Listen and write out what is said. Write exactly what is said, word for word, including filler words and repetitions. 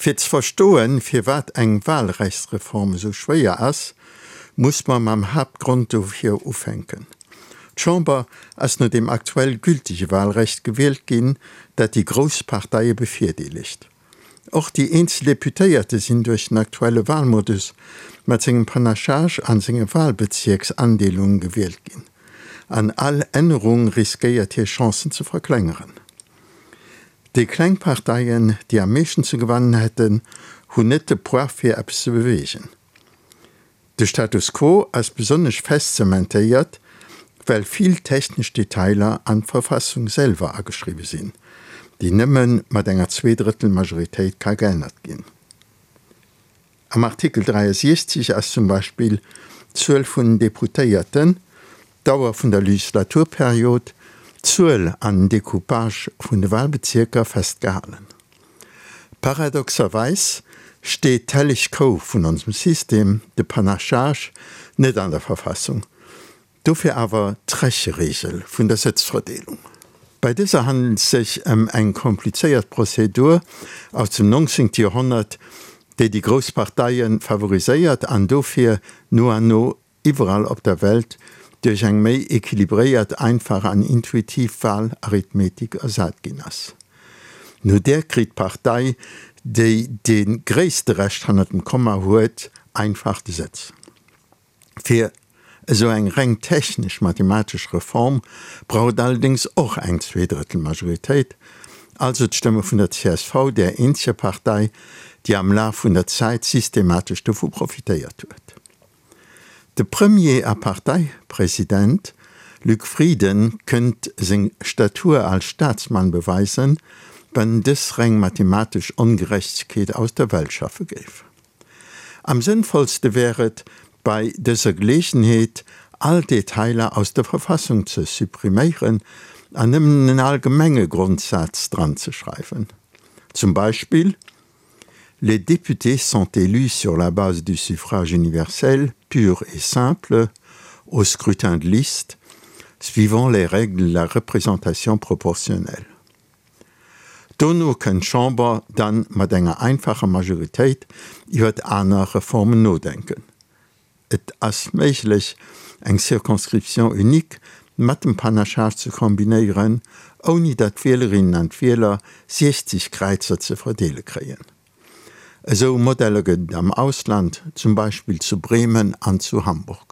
Fir ze verstoen, firwat eng Wahlrechtsreform esou schwéier ass, muss mer mam Haaptgrond dofir ufänken. D'Chamber ass no dem aktuell gültege Wahlrecht gewielt ginn, dat déi grouss Parteie bevirdeelegt. Och déi eenzel Deputéierte sinn duerch den aktuelle Wahlmodus mat sengem Panachage an senge Wahlbezierksandeelunge gewielt ginn. An all Ännerung riskéiert hir Chancen ze verklengeren. Déi kleng Parteien, déi am meeschten ze gewannen hätten, hunn net de Poids fir eppes ze beweegen. De Status quo ass besonnesch fest zementéiert, well vill technesch Detailer an d'Verfassung selwer ageschriwwe sinn, déi nëmme mat enger Zweedrëttelmajoritéit ka geännert ginn. Am Artikel dräiasiechzeg ass zum Beispill d'Zuel vun den Deputéierten, d'Dauer vun der Legislaturperiod, d'Zuel an den Decoupage vun de Wahlbezierker festgehalen. Paradoxerweis steet d'helleg Kou vun onsem System, de Panachage, net an der Verfassung, dofir awer d'Recheregel vun der Sëtzverdeelung. Bei dëser handelt et sech ëm eng komplizéiert Prozedur aus dem neunzehnten Joerhonnert, déi déi grouss Parteie favoriséiert an dofir no an no iwwerall op der Welt duerch eng méi equilibréiert, einfach an intuitiv Wahlarithmetik ersat ginn ass. No där kritt d'Partei, déi dee gréisste Rescht hannert dem Komma huet, einfach de Sëtz. Fir esou eng reng technesch-mathematesch Reform brauch et allerdéngs och eng Zweedrëttelmajoritéit, also d'Stëmme vun der C S V, där eenzeger Partei, déi am Laf vun der Zäit systematesch dovu profitéiert huet. De Premier a Parteipresident Luc Frieden kënnt seng Statur als Staatsmann beweisen, wann en dës reng mathematesch Ongerechtegkeet aus der Welt schaffe géif. Am sënnvollste wär et, bei dëser Geleegenheet all Detailer aus der Verfassung ze suppriméieren an nëmmen en allgemenge Grondsaz dran ze schreiwen. Zum Beispill: Les députés sont élus sur la base du suffrage universel, pur et simple, au scrutin de liste, suivant les règles de la représentation proportionnelle. Dono kënnt d'Chamber dann mat enger einfacher Majoritéit iwwert aner Reformen nodenken. Et ass méiglech, eng Circonscription unique mat dem Panachage ze kombinéieren, ouni datt d'Wielerinnen an d'Wieler siechzeg Kräizer ze verdeele kréien. Esou Modeller gëtt et am Ausland, zum Beispill zu Bremen an zu Hamburg.